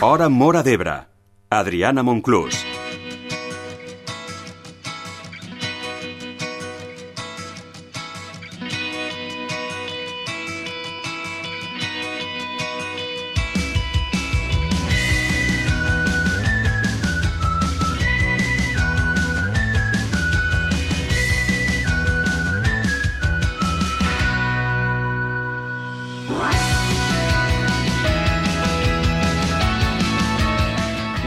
Hora Móra d'Ebre. Adriana Monclús.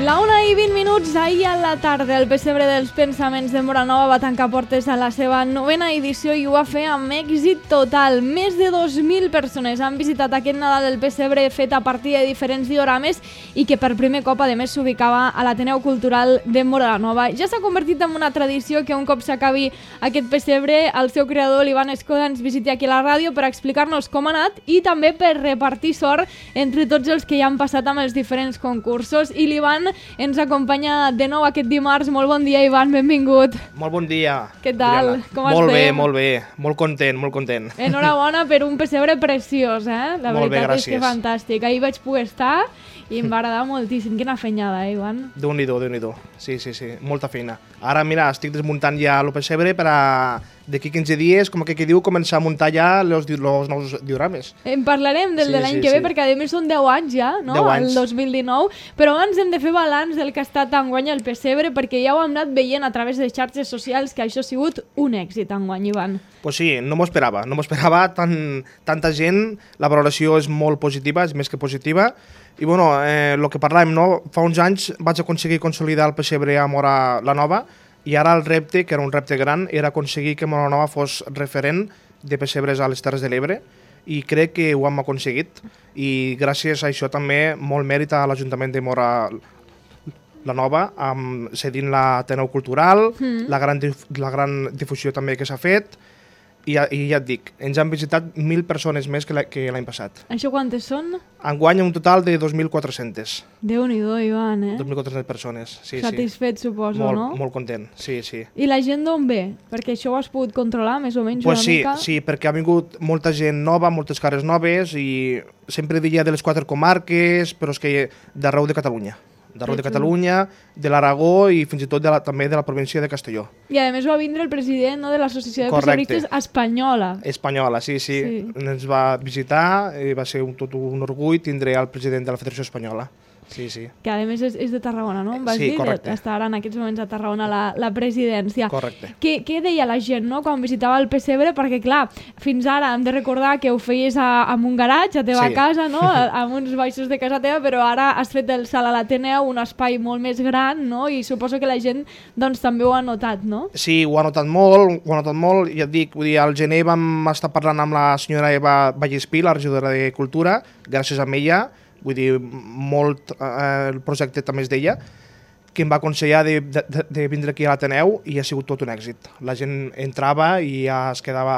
La 1:20, ahir a la tarda, el Pessebre dels Pensaments de Móra Nova va tancar portes a la seva 9ª edició i ho va fer amb èxit total. Més de 2.000 persones han visitat aquest Nadal del Pessebre fet a partir de diferents diorames i que per primer cop, a més, s'ubicava a l'Ateneu Cultural de Móra Nova. Ja s'ha convertit en una tradició que un cop s'acabi aquest Pessebre, el seu creador, l'Ivan Escoda, ens visiti aquí a la ràdio per explicar-nos com ha anat i també per repartir sort entre tots els que ja han passat amb els diferents concursos. I l'Ivan ens acompanya de nou aquest dimarts. Molt bon dia, Ivan, benvingut. Molt bon dia. Què tal? Adriana. Com estem? Molt bé. Molt content. Enhorabona per un pessebre preciós, eh? La molt veritat bé, és que fantàstic. Ahir vaig poder estar i em va agradar moltíssim. Quina fenyada, Ivan? Déu-n'hi-do. Sí. Molta feina. Ara, mira, estic desmuntant ja el pessebre per a d'aquí 15 dies, com que diu, començar a muntar ja els nous diorames. En parlarem del de l'any que ve, perquè a més són 10 anys ja, no? 10 anys. El 2019. Però abans hem de fer balanç del que ha estat enguany el pessebre, perquè ja ho hem anat veient a través de xarxes socials que això ha sigut un èxit enguany, Ivan. Pues sí, no m'ho esperava tanta gent. La valoració és molt positiva, és més que positiva. I bueno, el que parlàvem, no? Fa uns anys vaig aconseguir consolidar el pessebre a Móra la Nova i ara el repte, que era un repte gran, era aconseguir que Móra Nova fos referent de pessebres a les Terres de l'Ebre i crec que ho hem aconseguit i gràcies a això també molt mèrit a l'Ajuntament de Móra la Nova, cedint l'Ateneu Cultural, la gran difusió també que s'ha fet. I ja et dic, ens han visitat 1.000 persones més que l'any passat. Això quantes són? Enguany un total de 2.400. Déu-n'hi-do, Ivan, 2.400 persones, sí. Satisfet, suposo, no? Molt content, sí. I la gent d'on ve? Perquè això ho has pogut controlar, més o menys, una mica? Sí, perquè ha vingut molta gent nova, moltes cares noves, i sempre diria de les 4 comarques, però és que d'arreu de Catalunya. De Catalunya, de l'Aragó i fins i tot també de la província de Castelló. I a més va vindre el president, no, de l'Associació de Pessebristes Espanyola. Espanyola, sí. Ens va visitar i va ser tot un orgull tindre el president de la Federació Espanyola. Sí. Que a més és de Tarragona, no? Em vas dir? Correcte. Està ara en aquests moments a Tarragona la presidència. Correcte. Què deia la gent, no?, quan visitava el pessebre? Perquè, clar, fins ara hem de recordar que ho feies en un garatge, a teva casa, no?, amb uns baixos de casa teva, però ara has fet el salt a l'Ateneu, un espai molt més gran, no?, i suposo que la gent, doncs, també ho ha notat, no? Sí, ho ha notat molt, i et dic, vull dir, al gener vam estar parlant amb la senyora Eva Vallespí, la regidora de Cultura, gràcies a ella, vull dir, molt el projecte també és d'ella, que em va aconsellar de vindre aquí a l'Ateneu i ha sigut tot un èxit. La gent entrava i ja es quedava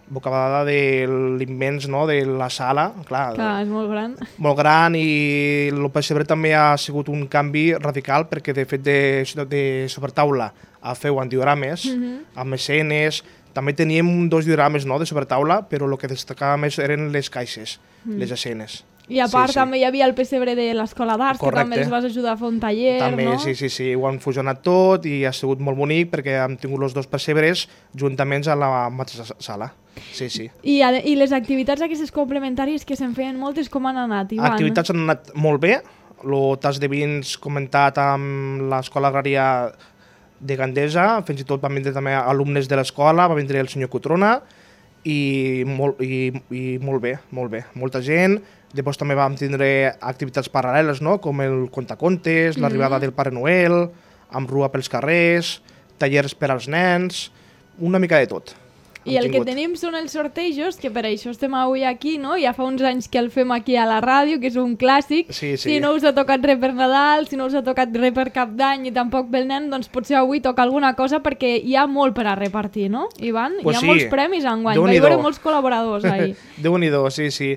bocabadada de l'immens, no?, de la sala. Clar, és molt gran. Molt gran, i el pessebre també ha sigut un canvi radical perquè de fet de sobretaula a feu en diorames, amb escenes. També teníem 2 diorames, no?, de sobretaula, però el que destacava més eren les caixes, les escenes. I a part també hi havia el pessebre de l'Escola d'Arts, que també els vas ajudar a fer un taller, també, no? Sí, ho han fusionat tot i ha sigut molt bonic perquè hem tingut els 2 pessebres juntaments a la mateixa sala. Sí. I les activitats aquestes complementàries que se'n feien moltes, com han anat, Ivan? Activitats han anat molt bé. El tas de vins comentat amb l'Escola Agrària de Gandesa, fins i tot van vindre també alumnes de l'escola, va vindre el senyor Cotrona i molt bé, molta gent. Després també vam tindre activitats paral·leles, no?, com el contacontes, l'arribada del Pare Noel, amb rua pels carrers, tallers per als nens, una mica de tot. I el que tenim són els sortejos, que per això estem avui aquí, no? Ja fa uns anys que el fem aquí a la ràdio, que és un clàssic. Sí. Si no us ha tocat res per Nadal, si no us ha tocat res per Cap d'Any i tampoc pel nen, doncs potser avui toca alguna cosa perquè hi ha molt per a repartir, no, Ivan? Hi ha molts premis enguany, va haver molts col·laboradors ahir. Déu-n'hi-do, sí.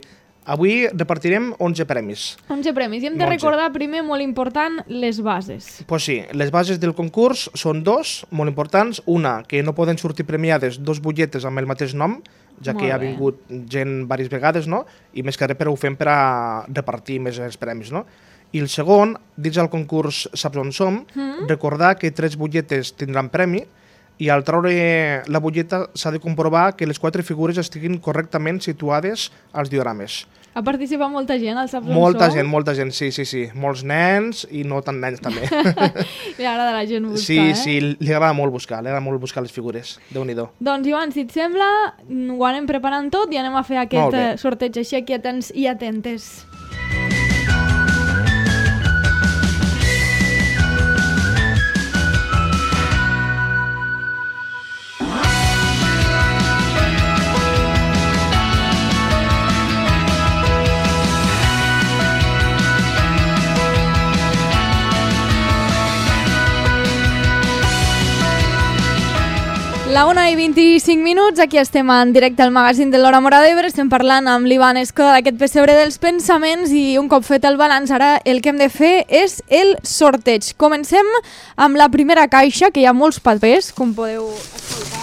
Avui repartirem 11 premis. 11 premis. I hem de recordar primer, molt important, les bases. Pues sí, les bases del concurs són 2, molt importants. Una, que no poden sortir premiades 2 butlletes amb el mateix nom, ja que ha vingut gent diverses vegades, no? I més que res, però ho fem per a repartir més els premis, no? I el segon, dins el concurs Saps on som, recordar que 3 butlletes tindran premi i al treure la butlleta s'ha de comprovar que les 4 figures estiguin correctament situades als diorames. Ha participat molta gent al Saps on som? Molta gent, sí. Molts nens i no tan nens també. Li agrada a la gent buscar, Sí, li agrada molt buscar les figures. Déu-n'hi-do. Doncs, Ivan, si et sembla, ho anem preparant tot i anem a fer aquest sorteig així aquí atents i atentes. La 1:25, aquí estem en directe al magazín de l'Hora Móra d'Ebre, estem parlant amb l'Ivan Escoda d'aquest pessebre dels pensaments i un cop fet el balanç ara el que hem de fer és el sorteig. Comencem amb la primera caixa, que hi ha molts papers, com podeu escoltar.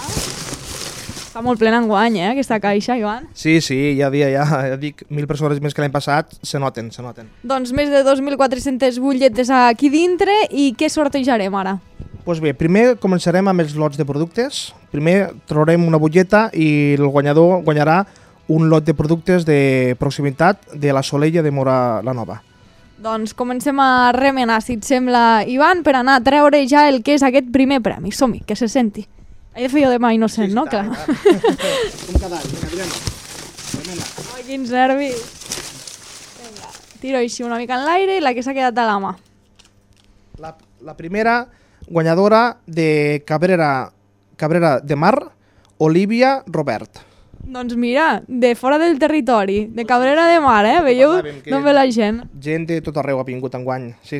Està molt plena enguany, aquesta caixa, Ivan. Sí, ja dic, 1.000 persones més que l'any passat, se noten. Doncs més de 2.400 butlletes aquí dintre i què sortejarem ara? Doncs bé, primer començarem amb els lots de productes. Primer traurem una butlleta i el guanyador guanyarà un lot de productes de proximitat de la Solella de Móra la Nova. Doncs comencem a remenar, si et sembla, Ivan, per anar a treure ja el que és aquest primer premi. Som-hi, que se senti. He de fer jo de mà innocent, no? Clar. Com cada any, Adriana. Remena. Ai, quins nervis. Vinga, tiro així una mica en l'aire i la que s'ha quedat a la mà. La primera guanyadora de Cabrera de Mar, Olivia Robert. Doncs mira, de fora del territori, de Cabrera de Mar, veieu d'on ve la gent. Gent de tot arreu ha vingut enguany, sí.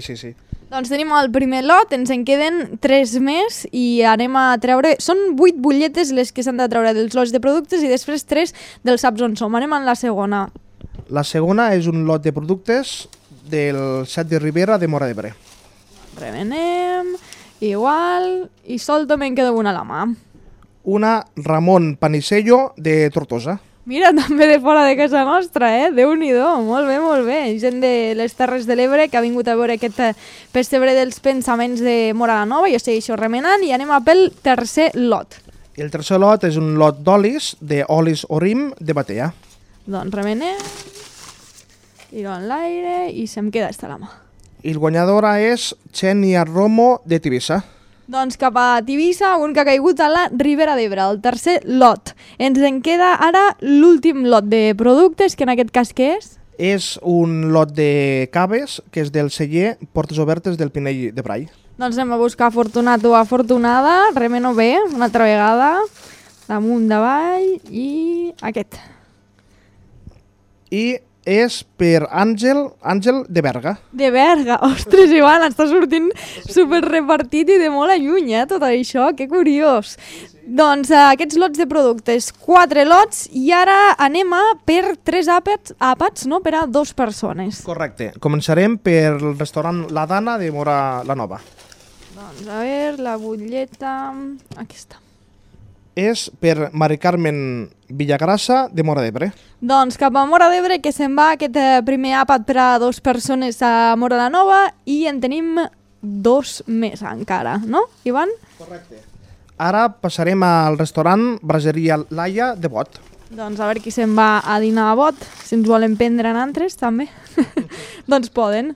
Doncs tenim el primer lot, ens en queden 3 més i anem a treure... Són 8 butlletes les que s'han de treure dels lots de productes i després 3 dels Saps on som. Anem en la segona. La segona és un lot de productes del Set de Ribera de Móra d'Ebre. Remenem... Igual, i sol també en queda una a la mà. Una Ramon Panisello de Tortosa. Mira, també de fora de casa nostra, Déu-n'hi-do, molt bé. Gent de les Terres de l'Ebre que ha vingut a veure aquest pessebre dels pensaments de Móra la Nova. Jo segueixo remenant i anem a pel tercer lot. I el tercer lot és un lot d'olis, d'olis Orim de Batea. Doncs remenem, tiro en l'aire i se'm queda esta a la mà. I el guanyadora és Xènia Romo de Tivissa. Doncs cap a Tivissa, un que ha caigut a la Ribera d'Ebre, el tercer lot. Ens en queda ara l'últim lot de productes, que en aquest cas què és? És un lot de caves, que és del celler Portes Obertes del Pinell de Brai. Doncs anem a buscar afortunat o afortunada, remeno bé, una altra vegada, damunt, davall i aquest. I és per Àngel de Berga. De Berga? Ostres, Ivan, està sortint super repartit i de molt lluny, tot això, que curiós. Sí. Doncs aquests lots de productes, 4 lots, i ara anem a per 3 àpats, no? Per a 2 persones. Correcte. Començarem per el restaurant La Dana de Móra la Nova. Doncs a veure, la butlleta... Aquí està. És per Mari Carmen Villagrassa de Móra d'Ebre. Doncs cap a Móra d'Ebre, que se'n va aquest primer àpat per a 2 persones a Móra la Nova i en tenim 2 més encara, no, Ivan? Correcte. Ara passarem al restaurant Braseria Laia de Bot. Doncs a veure qui se'n va a dinar a Bot, si ens volen prendre en altres també. Doncs poden.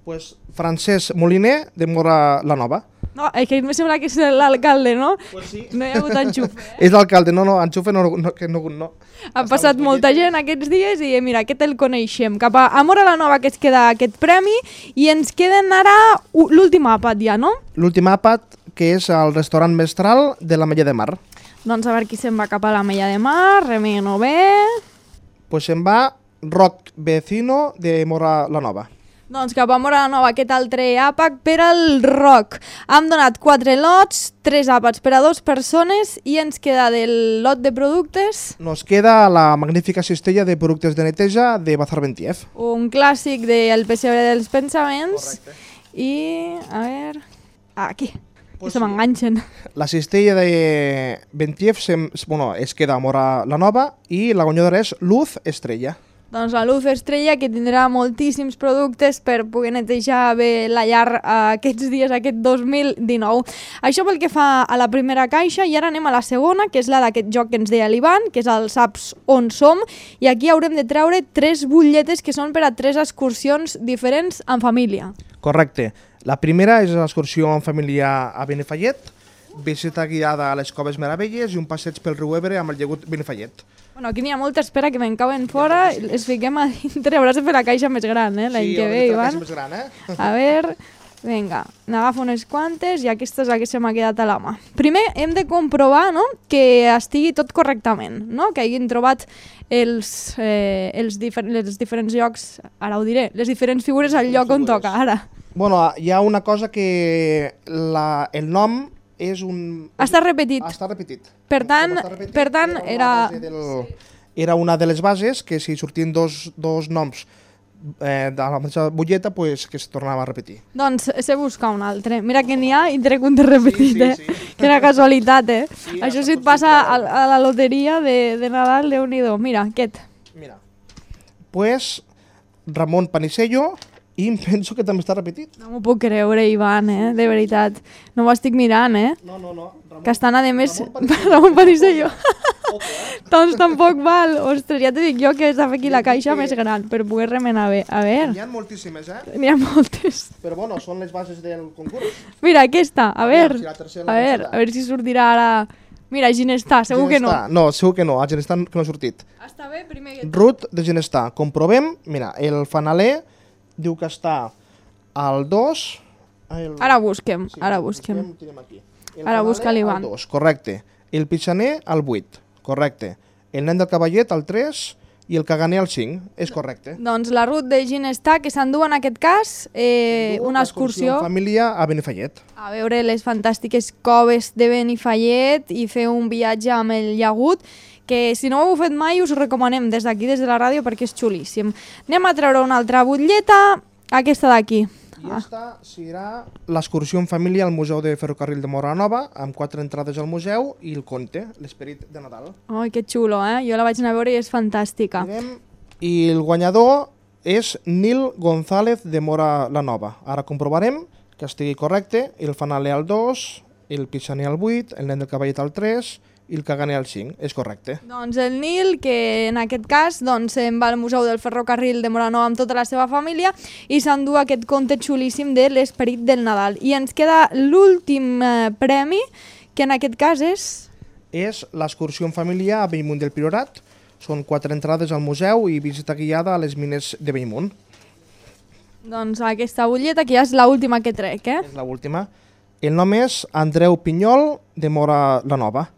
Pues Francesc Moliner de Móra la Nova. No, és que em sembla que és l'alcalde, no? Pues sí. No hi ha hagut enxufe. És l'alcalde, no, enxufe no. Ha passat molta gent aquests dies i mira, aquest el coneixem. Cap a Móra la Nova que es queda aquest premi i ens queden ara l'últim àpat ja, no? L'últim àpat, que és el restaurant Mestral de la Mella de Mar. Doncs a veure qui se'n va cap a la Mella de Mar, remeno bé. Pues se'n va Roc Vecino de Móra la Nova. Doncs cap a Móra la Nova, aquest altre àpat per al Roc. Hem donat 4 lots, 3 àpats per a 2 persones i ens queda del lot de productes... Nos queda la magnífica cistella de productes de neteja de Bazar Bentiev. Un clàssic del pessebre dels pensaments. Correcte. I, a veure... Aquí, pues que se m'enganxen. La cistella de Bentiev es queda a Móra la Nova i la guanyadora és Luz Estrella. Doncs la Luz Estrella, que tindrà moltíssims productes per poder netejar bé la llar aquests dies, aquest 2019. Això pel que fa a la primera caixa, i ara anem a la segona, que és la d'aquest joc que ens deia l'Ivan, que és el Saps on som, i aquí haurem de treure 3 butlletes que són per a 3 excursions diferents en família. Correcte. La primera és l'excursió en família a Benifallet, visita guiada a les Coves Meravelles i un passeig pel riu Ebre amb el llagut Benifallet. Bueno, aquí n'hi ha molta espera que me'n cauen fora, les fiquem a dintre, hauràs de fer la caixa més gran, l'any que ve, Ivan. Sí, més gran, A veure, vinga, n'agafo unes quantes i aquesta és la que se m'ha quedat a la mà. Primer hem de comprovar, no?, que estigui tot correctament, no?, que hagin trobat els diferents llocs, ara ho diré, les diferents figures al lloc on toca, ara. Bueno, hi ha una cosa que el nom és un... Està repetit. Està repetit. Per tant, era una de les bases que si sortien dos noms de la mateixa butlleta, pues, que es tornava a repetir. Doncs sé buscar un altre. Mira que n'hi ha i trec un de repetit, sí. Quina casualitat, Sí, això si et passa a la loteria de Nadal, Déu-n'hi-do. Mira, aquest. Mira, pues Ramon Panisello, i em penso que també està repetit. No m'ho puc creure, Ivan, de veritat. No ho estic mirant, No. Que estan, a més, Ramon Panisello. Doncs tampoc val. Ostres, ja t'ho dic jo que has de fer aquí la caixa més gran per poder remenar bé. A veure. N'hi ha moltíssimes, N'hi ha moltes. Però bueno, són les bases del concurs. Mira, aquesta. A veure, si a veure si sortirà ara... Mira, Ginestar, segur que no. No, segur que no, a Ginestar que no ha sortit. Està bé, primer que... Ruth de Ginestar. Comprovem, mira, el fanaler diu que està al 2... Ara busquem, ara busquem. Ara busca l'Ivan. Al 2, correcte. El pitxaner al 8, correcte. El nen del cavallet al 3 i el caganer al 5, és correcte. Doncs la Ruth de Ginestar, que s'endú en aquest cas una excursió... en família a Benifallet. A veure les fantàstiques coves de Benifallet i fer un viatge amb el llagut, que si no ho heu fet mai us ho recomanem des d'aquí, des de la ràdio, perquè és xulíssim. Anem a treure una altra butlleta, aquesta d'aquí. I aquesta serà l'excursió en família al Museu de Ferrocarril de Móra la Nova, amb 4 entrades al museu i el conte, l'esperit de Nadal. Ai, que xulo, Jo la vaig anar a veure i és fantàstica. I el guanyador és Nil González de Móra la Nova. Ara comprovarem que estigui correcte. El fanaler al 2, el pitxaner al 8, el nen del cavallet al 3 i el caganer al 5. És correcte. Doncs el Nil, que en aquest cas se'n va al Museu del Ferrocarril de Móra la Nova amb tota la seva família i s'endú aquest conte xulíssim de l'esperit del Nadal. I ens queda l'últim premi, que en aquest cas és... És l'excursió en família a Bellmunt del Priorat. Són 4 entrades al museu i visita guiada a les mines de Bellmunt. Doncs aquesta butlleta, que ja és l'última que trec, És l'última. El nom és Andreu Pinyol de Móra la Nova.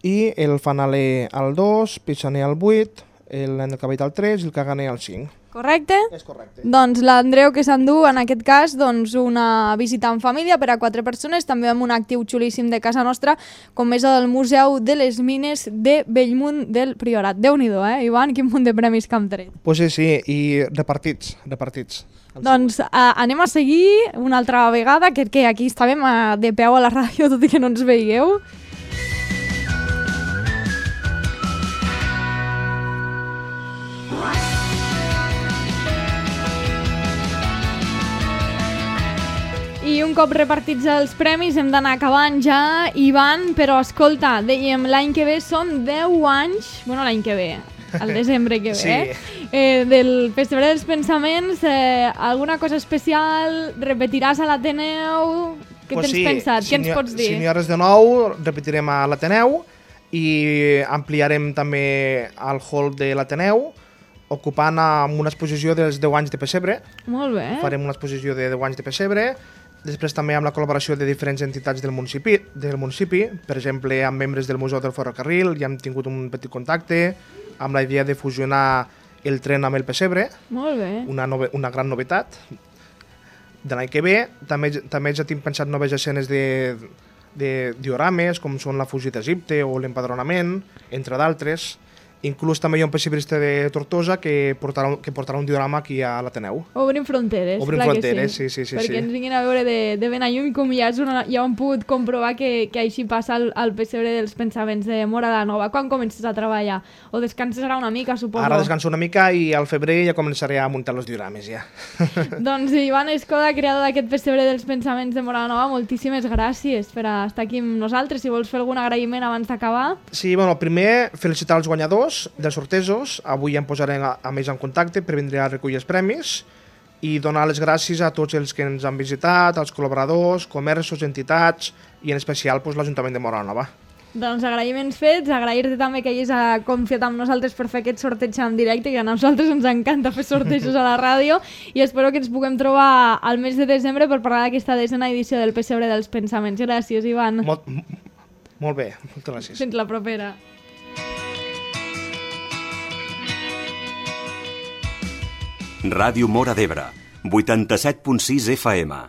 I el fanaler al 2, pitxaner al 8, el nen del cavallet al 3 i el caganer al 5. Correcte? És correcte. Doncs l'Andreu que s'endú, en aquest cas, una visita en família per a 4 persones, també amb un actiu xulíssim de casa nostra, com és el Museu de les Mines de Bellmunt del Priorat. Déu-n'hi-do, Ivan? Quin munt de premis que hem tret. Pues sí, i repartits. Doncs anem a seguir una altra vegada, que aquí estàvem de peu a la ràdio, tot i que no ens veieu. I un cop repartits els premis hem d'anar acabant ja, Ivan, però escolta, dèiem, l'any que ve són 10 anys, bueno, l'any que ve, al desembre que ve, sí. Del Pessebre dels Pensaments, alguna cosa especial, repetiràs a l'Ateneu, què tens pensat, què ens pots dir? Si n'hi ha res de nou, repetirem a l'Ateneu i ampliarem també el hall de l'Ateneu, ocupant amb una exposició dels 10 anys de Pessebre. Molt bé. Farem una exposició de 10 anys de Pessebre. Després també amb la col·laboració de diferents entitats del municipi, per exemple, amb membres del Museu del Ferrocarril, ja hem tingut un petit contacte amb la idea de fusionar el tren amb el Pessebre. Molt bé. Una gran novetat de l'any que ve. També ja tinc pensat noves escenes de diorames, com són la fugida d'Egipte o l'empadronament, entre d'altres. Inclús també hi ha un pessebrista de Tortosa que portarà un diorama aquí a l'Ateneu. Obrim fronteres, Obrim clar fronteres, que sí. Perquè ens vinguin a veure de ben a llum, com ja hem pogut comprovar que així passa al pessebre dels pensaments de Móra la Nova. Quan comences a treballar? O descanses ara una mica, suposo? Ara descanso una mica i al febrer ja començaré a muntar els diorames, ja. Doncs Ivan Escoda, creador d'aquest pessebre dels pensaments de Móra la Nova, moltíssimes gràcies per estar aquí amb nosaltres. Si vols fer algun agraïment abans d'acabar. Sí, bueno, primer felicitar els guanyadors dels sortejos. Avui ja em posaré amb ells en contacte per vindre a recollir els premis i donar les gràcies a tots els que ens han visitat, als col·laboradors, comerços, entitats i en especial l'Ajuntament de Móra la Nova. Doncs agraïments fets, agrair-te també que hagis confiat amb nosaltres per fer aquest sorteig en directe, que a nosaltres ens encanta fer sortejos a la ràdio, i espero que ens puguem trobar al mes de desembre per parlar d'aquesta 10ª edició del Pessebre dels Pensaments. Gràcies, Ivan. Molt bé, moltes gràcies. Fins la propera. Ràdio Móra d'Ebre, 87.6 FM.